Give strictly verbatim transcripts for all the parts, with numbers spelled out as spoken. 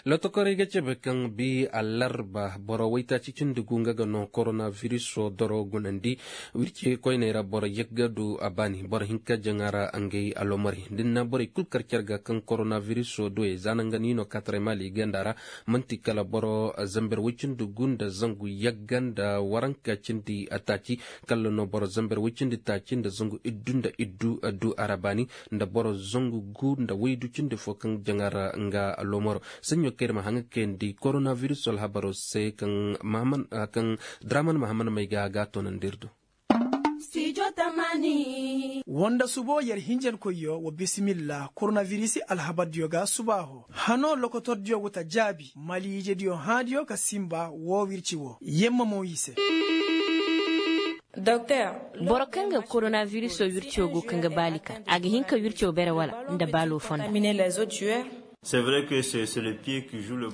Lotokorey ga cebe kaŋ bi allarba boro waytaaci cindi gu nga ga no koronabiriso doro gunandi. Wirci koyney ra boro yagga du a baani boro hinka jaŋa ra ngey alomari da ni na borey kul kar cer ga kaŋ koronabiriso duwey za naŋ ga ni no kaataray maali ganda ra. Man'ti kala boro zamber woy cindi gu nda zangu yagga nda waranka cindi taaci. Kala no boro zamber woy cindi taaci nda zangu iddu nda iddu du a ra baani nda boro zangu gu nda waydu cindi fo kaŋ jaŋa ra nga loomaro. Saɲɲo kaŋ ir ma haŋ ga kayandi koronabiris alhabaro se kaŋ draman mahaman may ga ga a toonandi ir do. Wanda subo yer hinjankoyyo wa bisimilla koronabiris alhabardiyo ga subaaho hano lokotordiyo go ta jaabi maliijediyo hãadiyo ka sinba woo wirci woo yemma mo i se. Boro kaŋ ga koronabirisoo wircoo go kaŋ ga baali ka a ga hin ka wircoo bere wala nda baaloo fonda.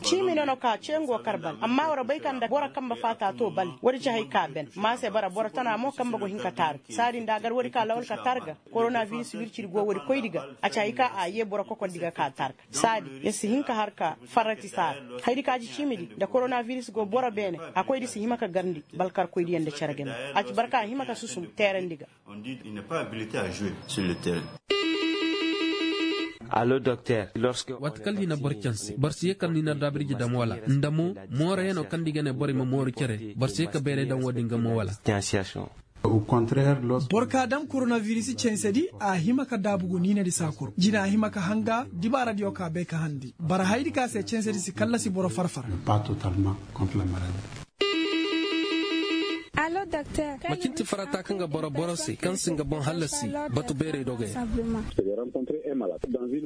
Ciimi no no ka cee ngo kar bal amma war bay ka nda boro kambe faata to bal woodi ci hay ka ben ma se bara boro tana mo kambe go hin ka taar saadi nda a gar woodi ka lawal ka taar ga. Koronabiris wircidi go woodi koydi ga a ci hay ka a yee boro kokordi ga ka taar ga saadi ya si hin ka har ka farrati saara. Haydi ka ci ciimidi nda koronabiris go boro beene a koydi si hima ka garndi balkarkoydiyaŋ nda cere game a ci barka a hima ka susum teerandi ga. Waati kala ni na boro canse boro si ye kala ni na daabirji dam wala nda mo moorayanoo kaŋ nda i ga ne borey ma mooru cere boro si ye ka beeray daŋ wo-din ga mo wala. Boro ka daŋ koronabiris cansedi a hima ka daabu go niinadi saakuru jina a hima ka hanga dibaaradiyo ka bay ka handi bara hayadi ka se cansedi si kallasi boro farfar. Macin ti farata kaŋ ga boro boro se kaŋ si nga boŋ hallasi batu beeray dogey ra.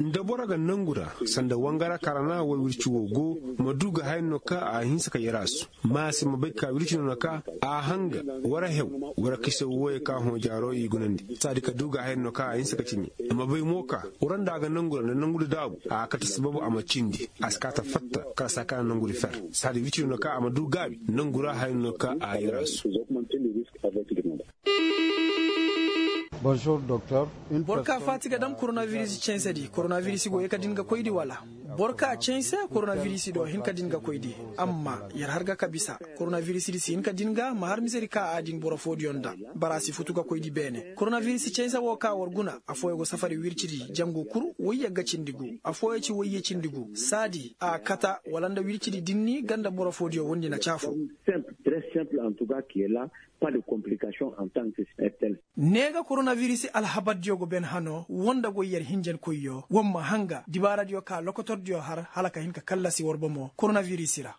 Nda boro ga nangu ra sanda wangara karana way wirci wo go ma du ga haya no ka a hinsa ka yarasu ma se ma bay ka wirci no na ka a hanga wara hew wara kise woyey ka hõ jaaro i gunandi saadi ka du ga haya no ka a hinsa ka cimi. Ma bay mo ka wara nda a ga nangu ra nda nangu da daabu a kate sababu a ma cindi a si ka ta fatta kala saa kaŋ a nangudi fer. Saadi wirci no na ka a ma du gaabi nangu ra haya no ka a yarasu. Boro ka faati ga dam koronabiris cansedi koronabiris go ye ka din ga koydi wala? Boro ka canse koronabiris do hin ka din ga koydi. Amma yer har ga ka bisa koronabiris di si hin ka din ga ma har misedi ka a din boro foodiyo nda bara a si futu ga koydi beene koronabiris canse wo ka war guna affooyo go safari wircidi jangu kul woyyagga cindi gu affooyo ci wayye cindi gu saadi a kata wala nda wircidi dinni ganda boro foodiyo wondi na caafo. Ne ga koronabiris alhabardiyo go ben hano woo nda goy yer hinjankoyyo woo ma hanga dibaaradiyo ka lokotordiyo har hala ka hin ka kallasi war bomo koronabiris ra.